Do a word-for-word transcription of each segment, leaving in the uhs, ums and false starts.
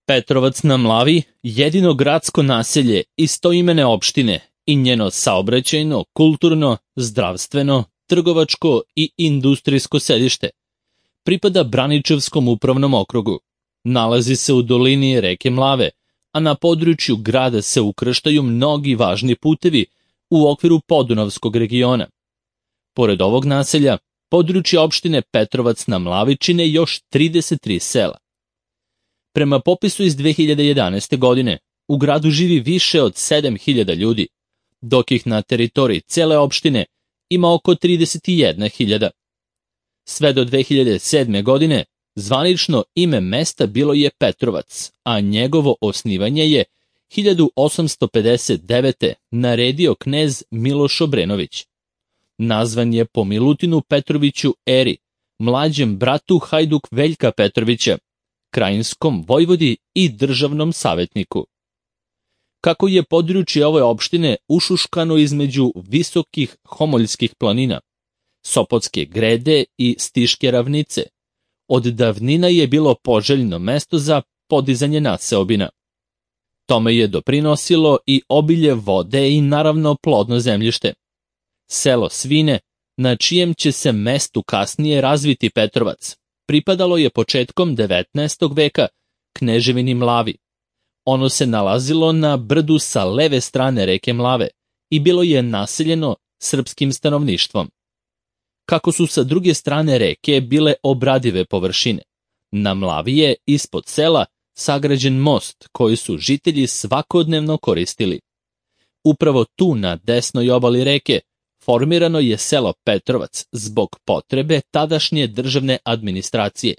Petrovac na Mlavi, jedino gradsko naselje istoimene opštine i njeno saobraćajno, kulturno, zdravstveno, trgovačko i industrijsko sedište, pripada Braničevskom upravnom okrugu. Nalazi se u dolini reke Mlave, a na području grada se ukrštaju mnogi važni putevi u okviru Podunavskog regiona. Pored ovog naselja, područje opštine Petrovac na Mlavi čine još trideset tri sela. Prema popisu iz dve hiljade jedanaeste. godine, u gradu živi više od sedam hiljada ljudi, dok ih na teritoriji cele opštine ima oko trideset jedna hiljada. Sve do dve hiljade sedme. godine zvanično ime mesta bilo je Petrovac, a njegovo osnivanje je hiljadu osamsto pedeset devete. naredio knez Miloš Obrenović. Nazvan je po Milutinu Petroviću Eri, mlađem bratu Hajduk Veljka Petrovića, krajinskom vojvodi i državnom savjetniku. Kako je područje ove opštine ušuškano između visokih homoljskih planina, Sopotske grede i Stiške ravnice, od davnina je bilo poželjno mesto za podizanje naseobina. Tome je doprinosilo i obilje vode i naravno plodno zemljište. Selo Svine, na čijem će se mestu kasnije razviti Petrovac, pripadalo je početkom devetnaestog. veka kneževini Mlavi. Ono se nalazilo na brdu sa leve strane reke Mlave i bilo je naseljeno srpskim stanovništvom. Kako su sa druge strane reke bile obradive površine, na Mlavi je ispod sela sagrađen most koji su žitelji svakodnevno koristili. Upravo tu na desnoj obali reke formirano je selo Petrovac zbog potrebe tadašnje državne administracije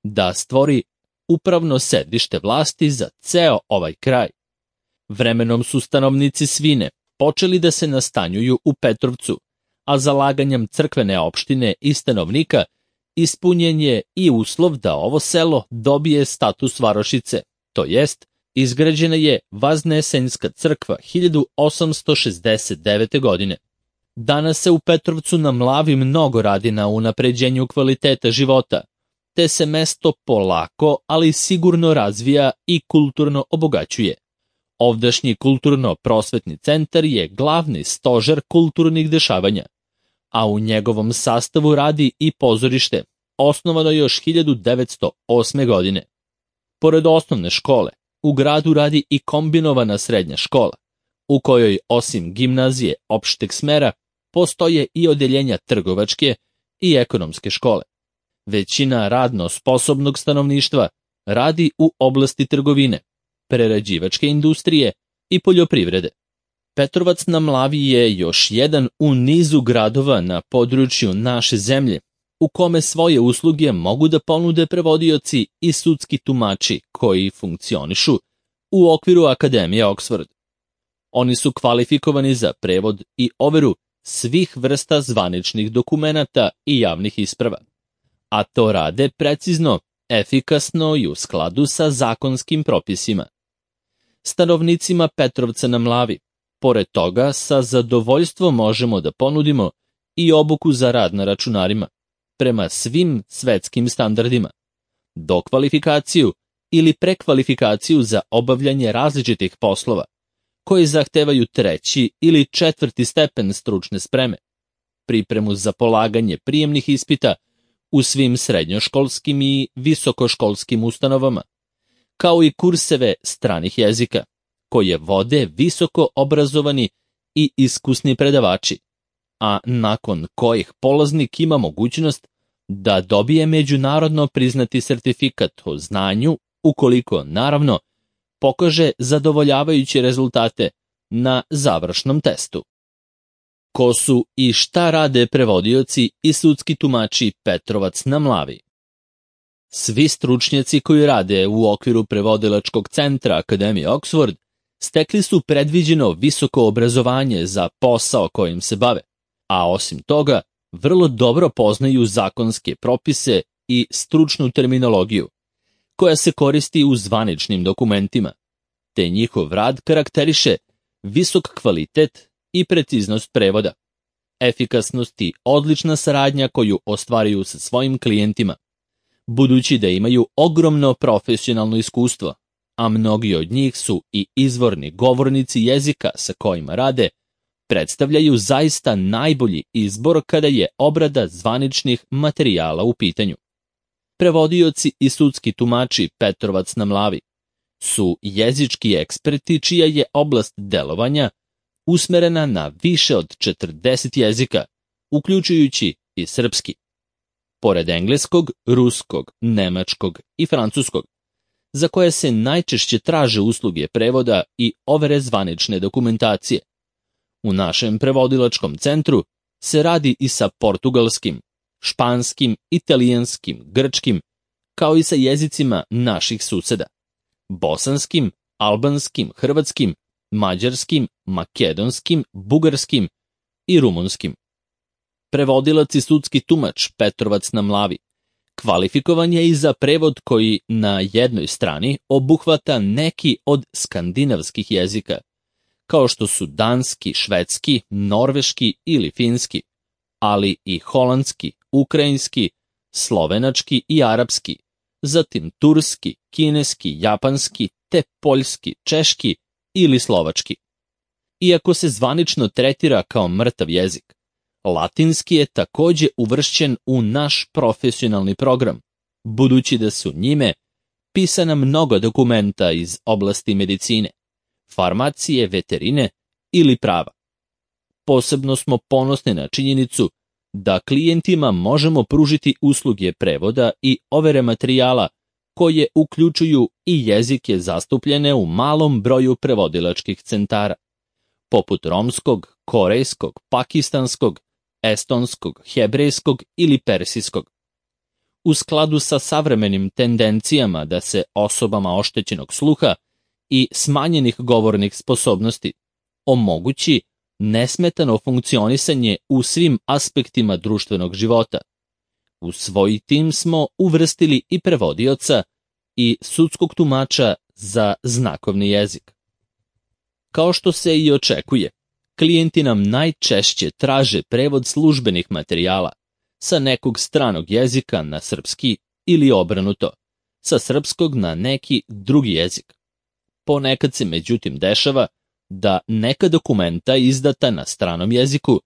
da stvori upravno sedište vlasti za ceo ovaj kraj. Vremenom su stanovnici Svine počeli da se nastanjuju u Petrovcu, a zalaganjem crkvene opštine i stanovnika ispunjen je i uslov da ovo selo dobije status varošice, to jest izgrađena je Vaznesenjska crkva hiljadu osamsto šezdeset devete. godine. Danas se u Petrovcu na Mlavi mnogo radi na unapređenju kvaliteta života, te se mesto polako, ali sigurno razvija i kulturno obogaćuje. Ovdašnji kulturno-prosvetni centar je glavni stožer kulturnih dešavanja, a u njegovom sastavu radi i pozorište, osnovano još hiljadu devetsto osme. godine. Pored osnovne škole, u gradu radi i kombinovana srednja škola, u kojoj osim gimnazije opšteg smera postoje i odeljenja trgovačke i ekonomske škole. Većina radno sposobnog stanovništva radi u oblasti trgovine, prerađivačke industrije i poljoprivrede. Petrovac na Mlavi je još jedan u nizu gradova na području naše zemlje, u kome svoje usluge mogu da ponude prevodioci i sudski tumači koji funkcionišu u okviru Akademije Oxford. Oni su kvalifikovani za prevod i overu svih vrsta zvaničnih dokumenata i javnih isprava, a to rade precizno, efikasno i u skladu sa zakonskim propisima. Stanovnicima Petrovca na Mlavi, pored toga, sa zadovoljstvom možemo da ponudimo i obuku za rad na računarima, prema svim svetskim standardima, dokvalifikaciju ili prekvalifikaciju za obavljanje različitih poslova, koji zahtevaju treći ili četvrti stepen stručne spreme, pripremu za polaganje prijemnih ispita u svim srednjoškolskim i visokoškolskim ustanovama, kao i kurseve stranih jezika, koje vode visoko obrazovani i iskusni predavači, a nakon kojih polaznik ima mogućnost da dobije međunarodno priznati sertifikat o znanju, ukoliko, naravno, pokaže zadovoljavajuće rezultate na završnom testu. Ko su i šta rade prevodioci i sudski tumači Petrovac na Mlavi? Svi stručnjaci koji rade u okviru prevodilačkog centra Akademije Oxford stekli su predviđeno visoko obrazovanje za posao kojim se bave, a osim toga vrlo dobro poznaju zakonske propise i stručnu terminologiju, koja se koristi u zvaničnim dokumentima, te njihov rad karakteriše visok kvalitet i preciznost prevoda, efikasnost i odlična saradnja koju ostvaruju sa svojim klijentima, budući da imaju ogromno profesionalno iskustvo, a mnogi od njih su i izvorni govornici jezika sa kojima rade, predstavljaju zaista najbolji izbor kada je obrada zvaničnih materijala u pitanju. Prevodioci i sudski tumači Petrovac na Mlavi su jezički eksperti čija je oblast delovanja usmerena na više od četrdeset jezika, uključujući i srpski. Pored engleskog, ruskog, nemačkog i francuskog, za koje se najčešće traže usluge prevoda i overe zvanične dokumentacije. U našem prevodilačkom centru se radi i sa portugalskim, španskim, italijanskim, grčkim, kao i sa jezicima naših suseda, bosanskim, albanskim, hrvatskim, mađarskim, makedonskim, bugarskim i rumunskim. Prevodilac i sudski tumač Petrovac na Mlavi kvalifikovan je i za prevod koji na jednoj strani obuhvata neki od skandinavskih jezika, kao što su danski, švedski, norveški ili finski, ali i holandski, ukrajinski, slovenački i arapski, zatim turski, kineski, japanski, te poljski, češki ili slovački. Iako se zvanično tretira kao mrtav jezik, latinski je takođe uvršćen u naš profesionalni program, budući da su njime pisana mnogo dokumenta iz oblasti medicine, farmacije, veterine ili prava. Posebno smo ponosni na činjenicu da klijentima možemo pružiti usluge prevoda i overe materijala koje uključuju i jezike zastupljene u malom broju prevodilačkih centara, poput romskog, korejskog, pakistanskog, estonskog, hebrejskog ili persijskog. U skladu sa savremenim tendencijama da se osobama oštećenog sluha i smanjenih govornih sposobnosti omogući nesmetano funkcionisanje u svim aspektima društvenog života. U svoj tim smo uvrstili i prevodioca i sudskog tumača za znakovni jezik. Kao što se i očekuje, klijenti nam najčešće traže prevod službenih materijala sa nekog stranog jezika na srpski ili obrnuto, sa srpskog na neki drugi jezik. Ponekad se međutim dešava da neka dokumenta izdata na stranom jeziku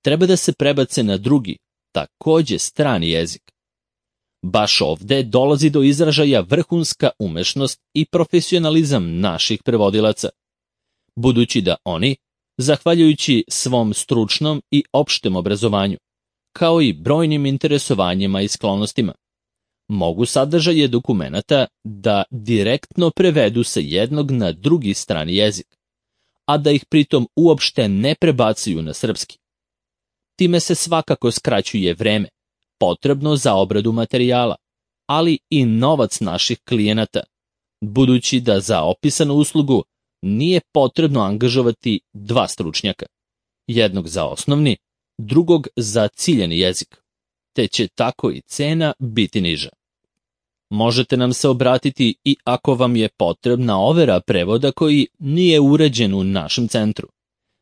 treba da se prebace na drugi, takođe strani jezik. Baš ovde dolazi do izražaja vrhunska umešnost i profesionalizam naših prevodilaca, budući da oni, zahvaljujući svom stručnom i opštem obrazovanju, kao i brojnim interesovanjima i sklonostima, mogu sadržaje dokumenata da direktno prevedu sa jednog na drugi strani jezik, a da ih pritom uopšte ne prebacuju na srpski. Time se svakako skraćuje vreme potrebno za obradu materijala, ali i novac naših klijenata, budući da za opisanu uslugu nije potrebno angažovati dva stručnjaka, jednog za osnovni, drugog za ciljani jezik, te će tako i cena biti niža. Možete nam se obratiti i ako vam je potrebna overa prevoda koji nije uređen u našem centru,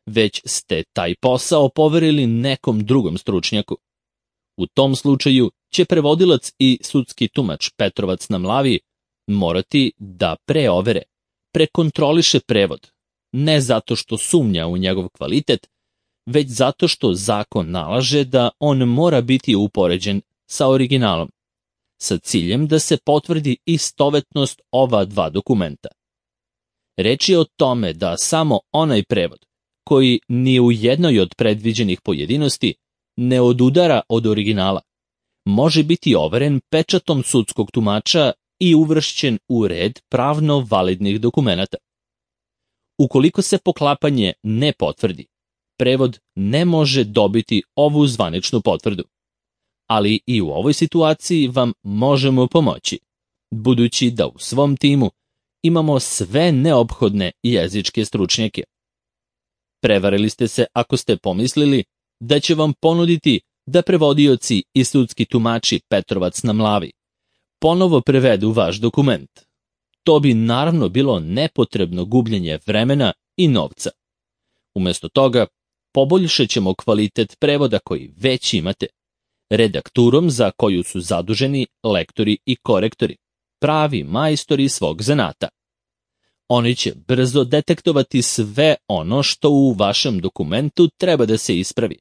već ste taj posao poverili nekom drugom stručnjaku. U tom slučaju će prevodilac i sudski tumač Petrovac na Mlavi morati da preovere, prekontroliše prevod, ne zato što sumnja u njegov kvalitet, već zato što zakon nalaže da on mora biti upoređen sa originalom, sa ciljem da se potvrdi istovetnost ova dva dokumenta. Reč je o tome da samo onaj prevod, koji ni u jednoj od predviđenih pojedinosti ne odudara od originala, može biti overen pečatom sudskog tumača i uvršćen u red pravno validnih dokumenata. Ukoliko se poklapanje ne potvrdi, prevod ne može dobiti ovu zvaničnu potvrdu. Ali i u ovoj situaciji vam možemo pomoći, budući da u svom timu imamo sve neophodne jezičke stručnjake. Prevarili ste se ako ste pomislili da će vam ponuditi da prevodioci i sudski tumači Petrovac na Mlavi ponovo prevedu vaš dokument. To bi naravno bilo nepotrebno gubljenje vremena i novca. Umesto toga, poboljšat ćemo kvalitet prevoda koji već imate, redakturom za koju su zaduženi lektori i korektori, pravi majstori svog zanata. Oni će brzo detektovati sve ono što u vašem dokumentu treba da se ispravi,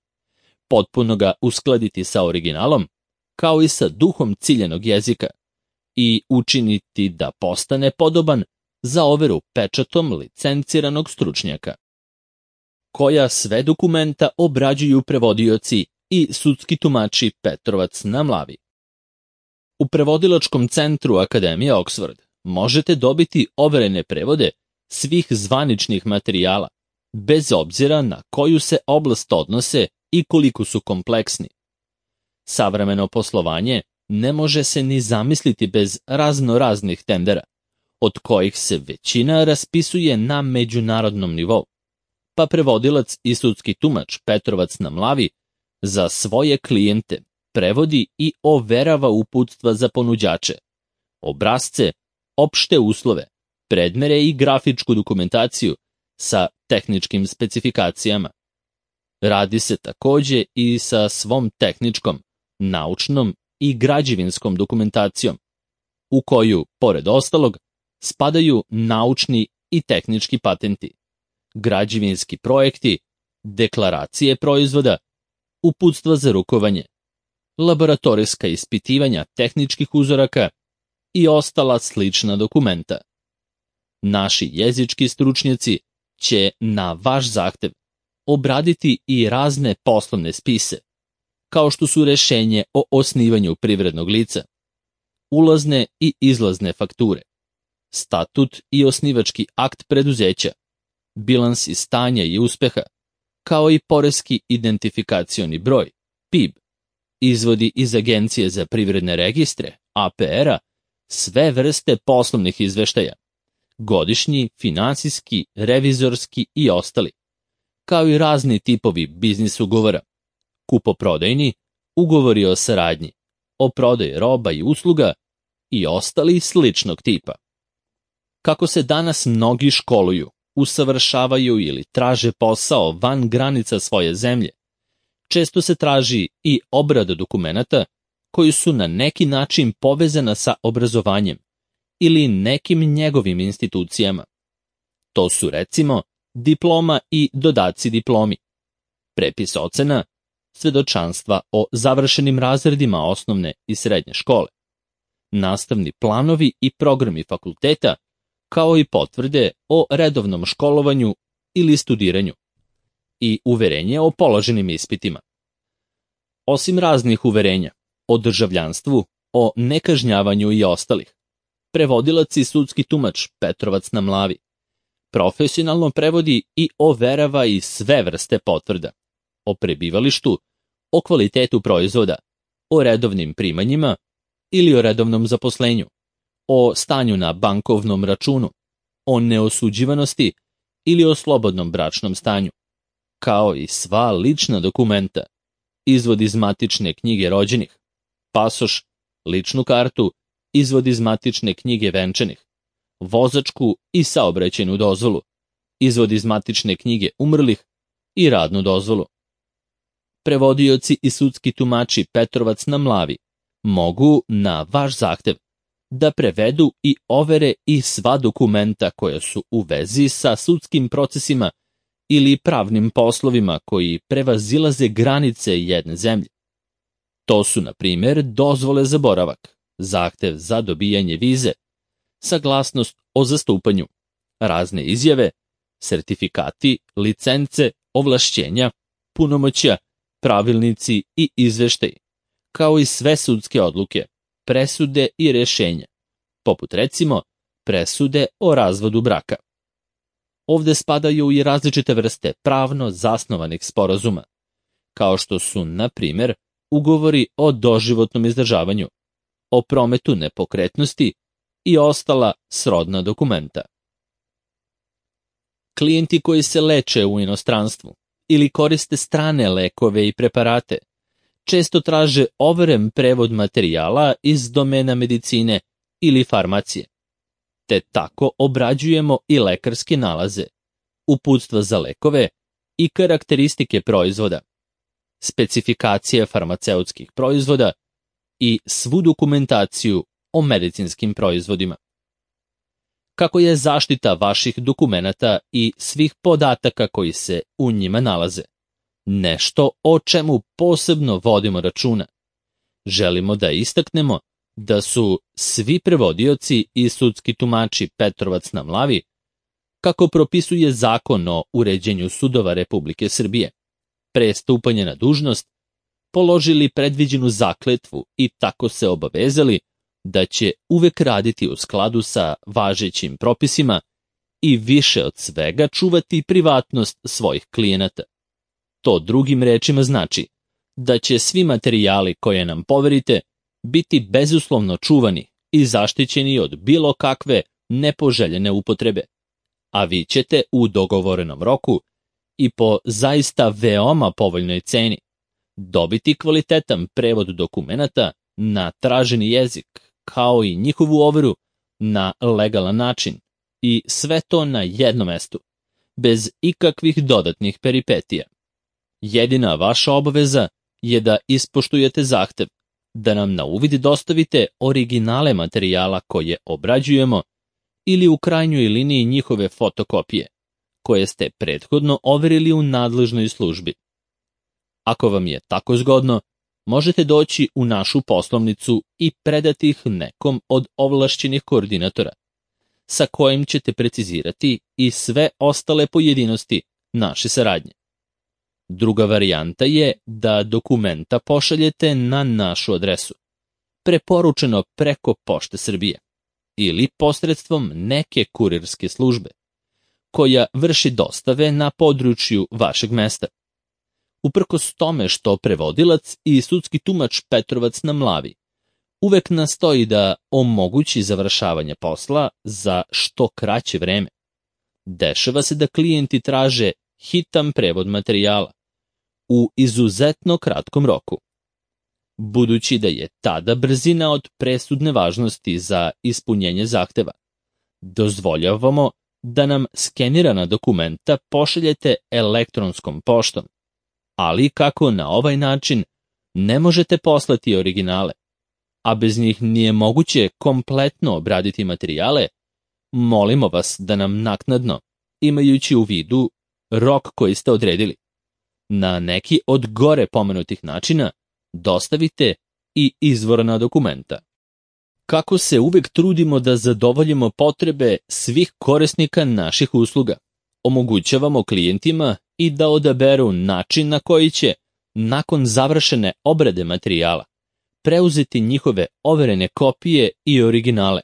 potpuno ga uskladiti sa originalom, kao i sa duhom ciljenog jezika, i učiniti da postane podoban za overu pečatom licenciranog stručnjaka. Koja sve dokumenta obrađuju prevodioci i sudski tumači Petrovac na Mlavi. U prevodilačkom centru Akademije Oxford možete dobiti overene prevode svih zvaničnih materijala, bez obzira na koju se oblast odnose i koliko su kompleksni. Savremeno poslovanje ne može se ni zamisliti bez razno raznih tendera, od kojih se većina raspisuje na međunarodnom nivou, pa prevodilac i sudski tumač Petrovac na Mlavi za svoje klijente prevodi i overava uputstva za ponuđače, obrasce, opšte uslove, predmere i grafičku dokumentaciju sa tehničkim specifikacijama. Radi se takođe i sa svom tehničkom, naučnom i građevinskom dokumentacijom, u koju, pored ostalog, spadaju naučni i tehnički patenti, građevinski projekti, deklaracije proizvoda, uputstva za rukovanje, laboratorijska ispitivanja tehničkih uzoraka i ostala slična dokumenta. Naši jezički stručnjaci će na vaš zahtev obraditi i razne poslovne spise, kao što su rešenje o osnivanju privrednog lica, ulazne i izlazne fakture, statut i osnivački akt preduzeća, bilansi stanja i uspeha, kao i poreski identifikacioni broj, P I B, izvodi iz Agencije za privredne registre, A P R-a, sve vrste poslovnih izveštaja, godišnji, finansijski, revizorski i ostali, kao i razni tipovi biznis ugovora, kupoprodajni, ugovori o saradnji, o prodaji roba i usluga i ostali sličnog tipa. Kako se danas mnogi školuju, usavršavaju ili traže posao van granica svoje zemlje, često se traži i obrada dokumenata koji su na neki način povezana sa obrazovanjem ili nekim njegovim institucijama. To su recimo diploma i dodaci diplomi, prepis ocena, svedočanstva o završenim razredima osnovne i srednje škole, nastavni planovi i programi fakulteta, kao i potvrde o redovnom školovanju ili studiranju i uverenje o položenim ispitima. Osim raznih uverenja o državljanstvu, o nekažnjavanju i ostalih, prevodilac i sudski tumač Petrovac na Mlavi profesionalno prevodi i overava i sve vrste potvrda o prebivalištu, o kvalitetu proizvoda, o redovnim primanjima ili o redovnom zaposlenju, o stanju na bankovnom računu, o neosuđivanosti ili o slobodnom bračnom stanju, kao i sva lična dokumenta, izvod iz matične knjige rođenih, pasoš, ličnu kartu, izvod iz matične knjige venčanih, vozačku i saobraćajnu dozvolu, izvod iz matične knjige umrlih i radnu dozvolu. Prevodioci i sudski tumači Petrovac na Mlavi mogu na vaš zahtev da prevedu i overe i sva dokumenta koja su u vezi sa sudskim procesima ili pravnim poslovima koji prevazilaze granice jedne zemlje. To su, na primjer, dozvole za boravak, zahtev za dobijanje vize, saglasnost o zastupanju, razne izjave, sertifikati, licence, ovlašćenja, punomoćja, pravilnici i izveštaji, kao i sve sudske odluke, presude i rešenja, poput recimo presude o razvodu braka. Ovde spadaju i različite vrste pravno zasnovanih sporazuma, kao što su, na primjer, ugovori o doživotnom izdržavanju, o prometu nepokretnosti i ostala srodna dokumenta. Klijenti koji se leče u inostranstvu ili koriste strane lekove i preparate često traže overen prevod materijala iz domena medicine ili farmacije, te tako obrađujemo i lekarske nalaze, uputstva za lekove i karakteristike proizvoda, specifikacije farmaceutskih proizvoda i svu dokumentaciju o medicinskim proizvodima. kako je zaštita vaših dokumenata i svih podataka koji se u njima nalaze. Nešto o čemu posebno vodimo računa. Želimo da istaknemo da su svi prevodioci i sudski tumači Petrovac na Mlavi, kako propisuje Zakon o uređenju sudova Republike Srbije, pre stupanja na dužnost, položili predviđenu zakletvu i tako se obavezali da će uvek raditi u skladu sa važećim propisima i više od svega čuvati privatnost svojih klijenata. To drugim rečima znači da će svi materijali koje nam poverite biti bezuslovno čuvani i zaštićeni od bilo kakve nepoželjene upotrebe, a vi ćete u dogovorenom roku i po zaista veoma povoljnoj ceni dobiti kvalitetan prevod dokumenata na traženi jezik, kao i njihovu overu na legalan način, i sve to na jednom mestu, bez ikakvih dodatnih peripetija. Jedina vaša obaveza je da ispoštujete zahtev da nam na uvid dostavite originale materijala koje obrađujemo ili u krajnjoj liniji njihove fotokopije, koje ste prethodno overili u nadležnoj službi. Ako vam je tako zgodno, možete doći u našu poslovnicu i predati ih nekom od ovlašćenih koordinatora, sa kojim ćete precizirati i sve ostale pojedinosti naše saradnje. Druga varijanta je da dokumenta pošaljete na našu adresu, preporučeno preko Pošte Srbije, ili posredstvom neke kurirske službe, koja vrši dostave na području vašeg mesta. Uprkos tome što prevodilac i sudski tumač Petrovac na Mlavi uvek nastoji da omogući završavanje posla za što kraće vreme, dešava se da klijenti traže hitan prevod materijala u izuzetno kratkom roku. Budući da je tada brzina od presudne važnosti za ispunjenje zahteva, dozvoljavamo da nam skenirana dokumenta pošaljete elektronskom poštom, ali kako na ovaj način ne možete poslati originale, a bez njih nije moguće kompletno obraditi materijale, molimo vas da nam naknadno, imajući u vidu rok koji ste odredili, na neki od gore pomenutih načina dostavite i izvorna dokumenta. Kako se uvek trudimo da zadovoljimo potrebe svih korisnika naših usluga, omogućavamo klijentima i da odaberu način na koji će, nakon završene obrade materijala, preuzeti njihove overene kopije i originale.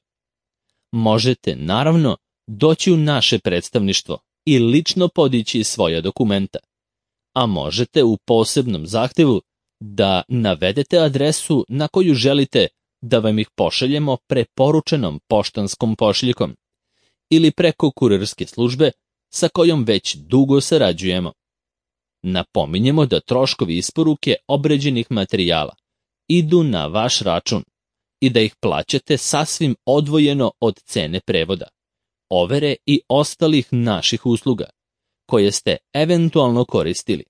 Možete, naravno, doći u naše predstavništvo i lično podići svoja dokumenta, a možete u posebnom zahtevu da navedete adresu na koju želite da vam ih pošaljemo preporučenom poštanskom pošiljkom ili preko kurirske službe sa kojom već dugo sarađujemo. Napominjemo da troškovi isporuke obređenih materijala idu na vaš račun i da ih plaćate sasvim odvojeno od cene prevoda, overe i ostalih naših usluga, koje ste eventualno koristili.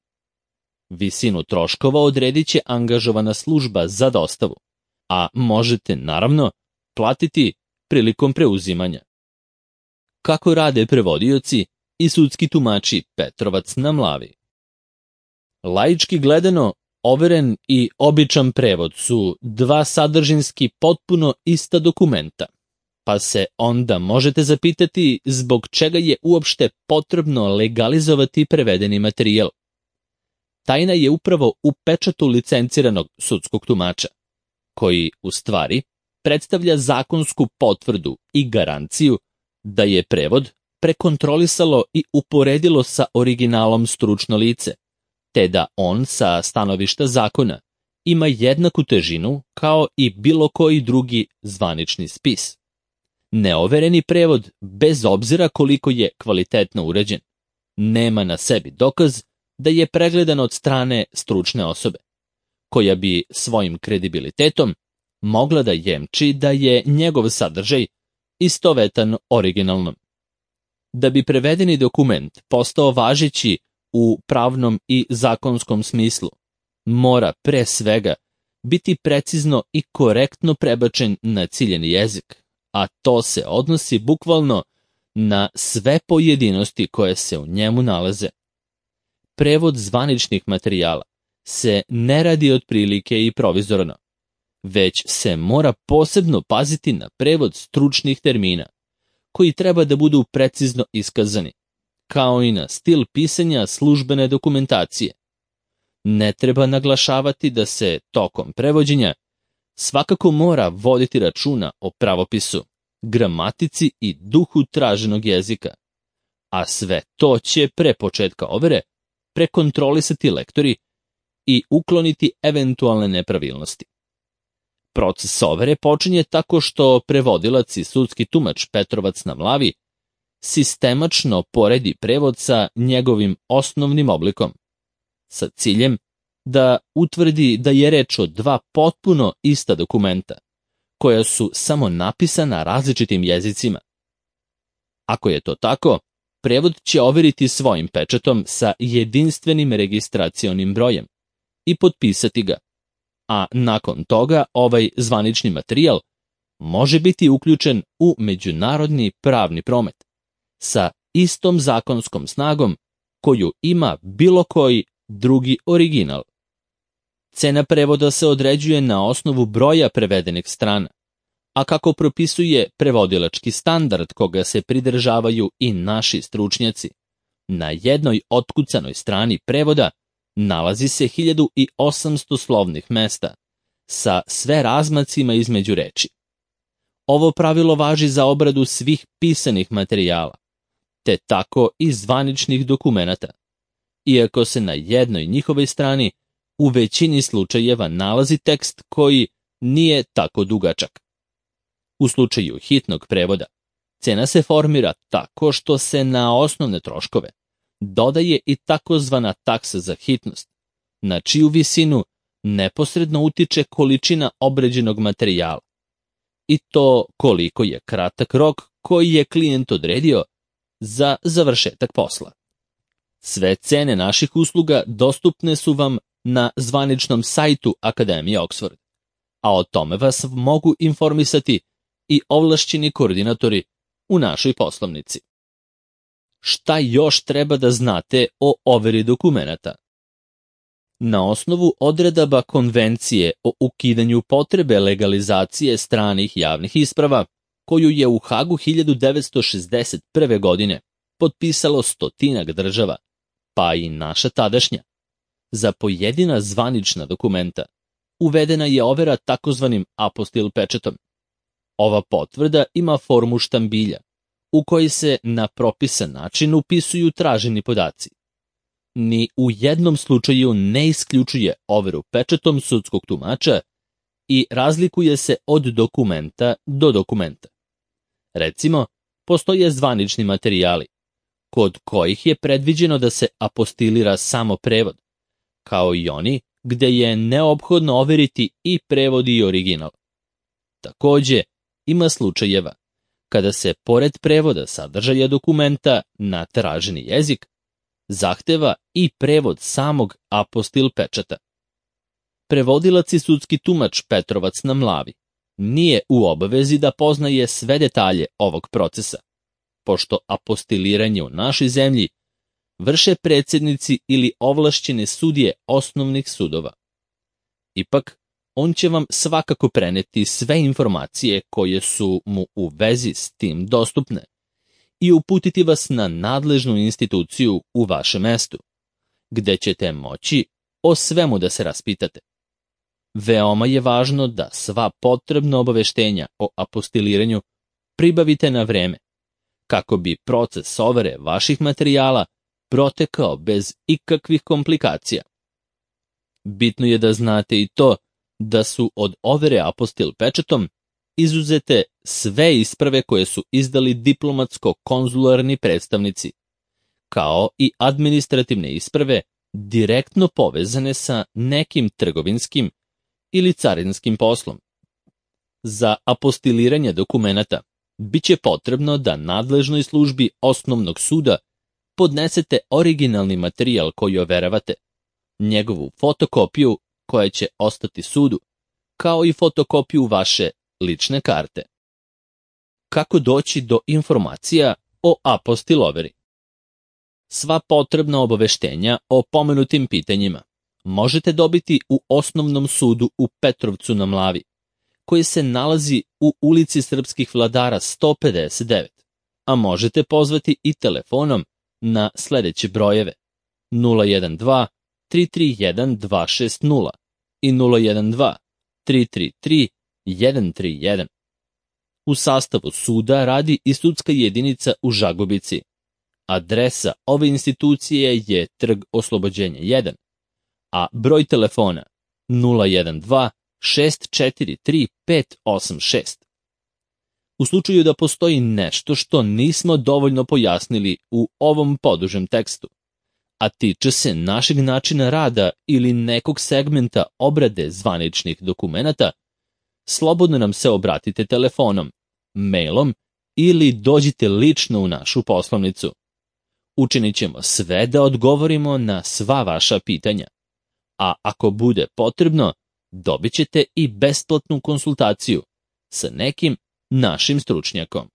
Visinu troškova odredit će angažovana služba za dostavu, a možete, naravno, platiti prilikom preuzimanja. Kako rade prevodioci i sudski tumači Petrovac na Mlavi? Laički gledano, overen i običan prevod su dva sadržinski potpuno ista dokumenta, pa se onda možete zapitati zbog čega je uopšte potrebno legalizovati prevedeni materijal. Tajna je upravo u pečatu licenciranog sudskog tumača, koji, u stvari, predstavlja zakonsku potvrdu i garanciju da je prevod prekontrolisalo i uporedilo sa originalom stručno lice, te da on sa stanovišta zakona ima jednaku težinu kao i bilo koji drugi zvanični spis. Neovereni prevod, bez obzira koliko je kvalitetno urađen, nema na sebi dokaz da je pregledan od strane stručne osobe, koja bi svojim kredibilitetom mogla da jemči da je njegov sadržaj istovetan originalnom. Da bi prevedeni dokument postao važeći u pravnom i zakonskom smislu, mora pre svega biti precizno i korektno prebačen na ciljeni jezik, a to se odnosi bukvalno na sve pojedinosti koje se u njemu nalaze. Prevod zvaničnih materijala se ne radi otprilike i provizorno, već se mora posebno paziti na prevod stručnih termina, koji treba da budu precizno iskazani, kao i na stil pisanja službene dokumentacije. Ne treba naglašavati da se tokom prevođenja svakako mora voditi računa o pravopisu, gramatici i duhu traženog jezika, a sve to će pre početka overe prekontrolisati lektori i ukloniti eventualne nepravilnosti. Proces overe počinje tako što prevodilac i sudski tumač Petrovac na Mlavi sistemačno poredi prevod sa njegovim osnovnim oblikom, sa ciljem da utvrdi da je reč o dva potpuno ista dokumenta, koja su samo napisana različitim jezicima. Ako je to tako, prevod će overiti svojim pečatom sa jedinstvenim registracionim brojem i potpisati ga, a nakon toga ovaj zvanični materijal može biti uključen u međunarodni pravni promet sa istom zakonskom snagom koju ima bilo koji drugi original. Cena prevoda se određuje na osnovu broja prevedenih strana, a kako propisuje prevodilački standard koga se pridržavaju i naši stručnjaci, na jednoj otkucanoj strani prevoda nalazi se hiljadu osamsto slovnih mesta sa sve razmacima između reči. Ovo pravilo važi za obradu svih pisanih materijala, te tako i zvaničnih dokumenata, iako se na jednoj njihovoj strani u većini slučajeva nalazi tekst koji nije tako dugačak. U slučaju hitnog prevoda, cena se formira tako što se na osnovne troškove dodaje i takozvana taksa za hitnost, na čiju visinu neposredno utiče količina obrađenog materijala, i to koliko je kratak rok koji je klijent odredio za završetak posla. Sve cene naših usluga dostupne su vam na zvaničnom sajtu Akademije Oxford, a o tome vas mogu informisati i ovlašćeni koordinatori u našoj poslovnici. Šta još treba da znate o overi dokumenata? Na osnovu odredaba Konvencije o ukidanju potrebe legalizacije stranih javnih isprava, koju je u Hagu hiljadu devetsto šezdeset prve. godine potpisalo stotinak država, pa i naša tadašnja, za pojedina zvanična dokumenta uvedena je overa takozvanim apostil pečatom. Ova potvrda ima formu štambilja, u kojoj se na propisan način upisuju traženi podaci. Ni u jednom slučaju ne isključuje overu pečatom sudskog tumača i razlikuje se od dokumenta do dokumenta. Recimo, postoje zvanični materijali, kod kojih je predviđeno da se apostilira samo prevod, kao i oni gde je neophodno overiti i prevod i original. Takođe, ima slučajeva kada se pored prevoda sadržaja dokumenta na traženi jezik zahteva i prevod samog apostil pečata. Prevodilac i sudski tumač Petrovac na Mlavi nije u obavezi da poznaje sve detalje ovog procesa, pošto apostiliranje u našoj zemlji vrše predsjednici ili ovlašćene sudije osnovnih sudova. Ipak, on će vam svakako preneti sve informacije koje su mu u vezi s tim dostupne i uputiti vas na nadležnu instituciju u vašem mestu, gde ćete moći o svemu da se raspitate. Veoma je važno da sva potrebna obaveštenja o apostiliranju pribavite na vreme, kako bi proces overe vaših materijala protekao bez ikakvih komplikacija. Bitno je da znate i to da su od overe apostil pečatom izuzete sve isprave koje su izdali diplomatsko-konzularni predstavnici, kao i administrativne isprave direktno povezane sa nekim trgovinskim ili carinskim poslom. Za apostiliranje dokumenata biće potrebno da nadležnoj službi osnovnog suda podnesete originalni materijal koji overavate, njegovu fotokopiju koja će ostati sudu, kao i fotokopiju vaše lične karte. kako doći do informacija o apostiloveri. Sva potrebna obaveštenja o pomenutim pitanjima možete dobiti u Osnovnom sudu u Petrovcu na Mlavi, koji se nalazi u ulici Srpskih vladara sto pedeset devet, a možete pozvati i telefonom na sledeće brojeve nula jedan dva tri tri jedan dva šest nula i nula jedan dva tri tri tri jedan tri jedan. U sastavu suda radi i sudska jedinica u Žagubici. Adresa ove institucije je Trg Oslobođenja jedan, a broj telefona nula jedan dva šest četiri tri pet osam šest. U slučaju da postoji nešto što nismo dovoljno pojasnili u ovom podužem tekstu, a tiče se našeg načina rada ili nekog segmenta obrade zvaničnih dokumenata, slobodno nam se obratite telefonom, mailom ili dođite lično u našu poslovnicu. Učinit ćemo sve da odgovorimo na sva vaša pitanja, a ako bude potrebno, dobit ćete i besplatnu konsultaciju sa nekim našim stručnjakom.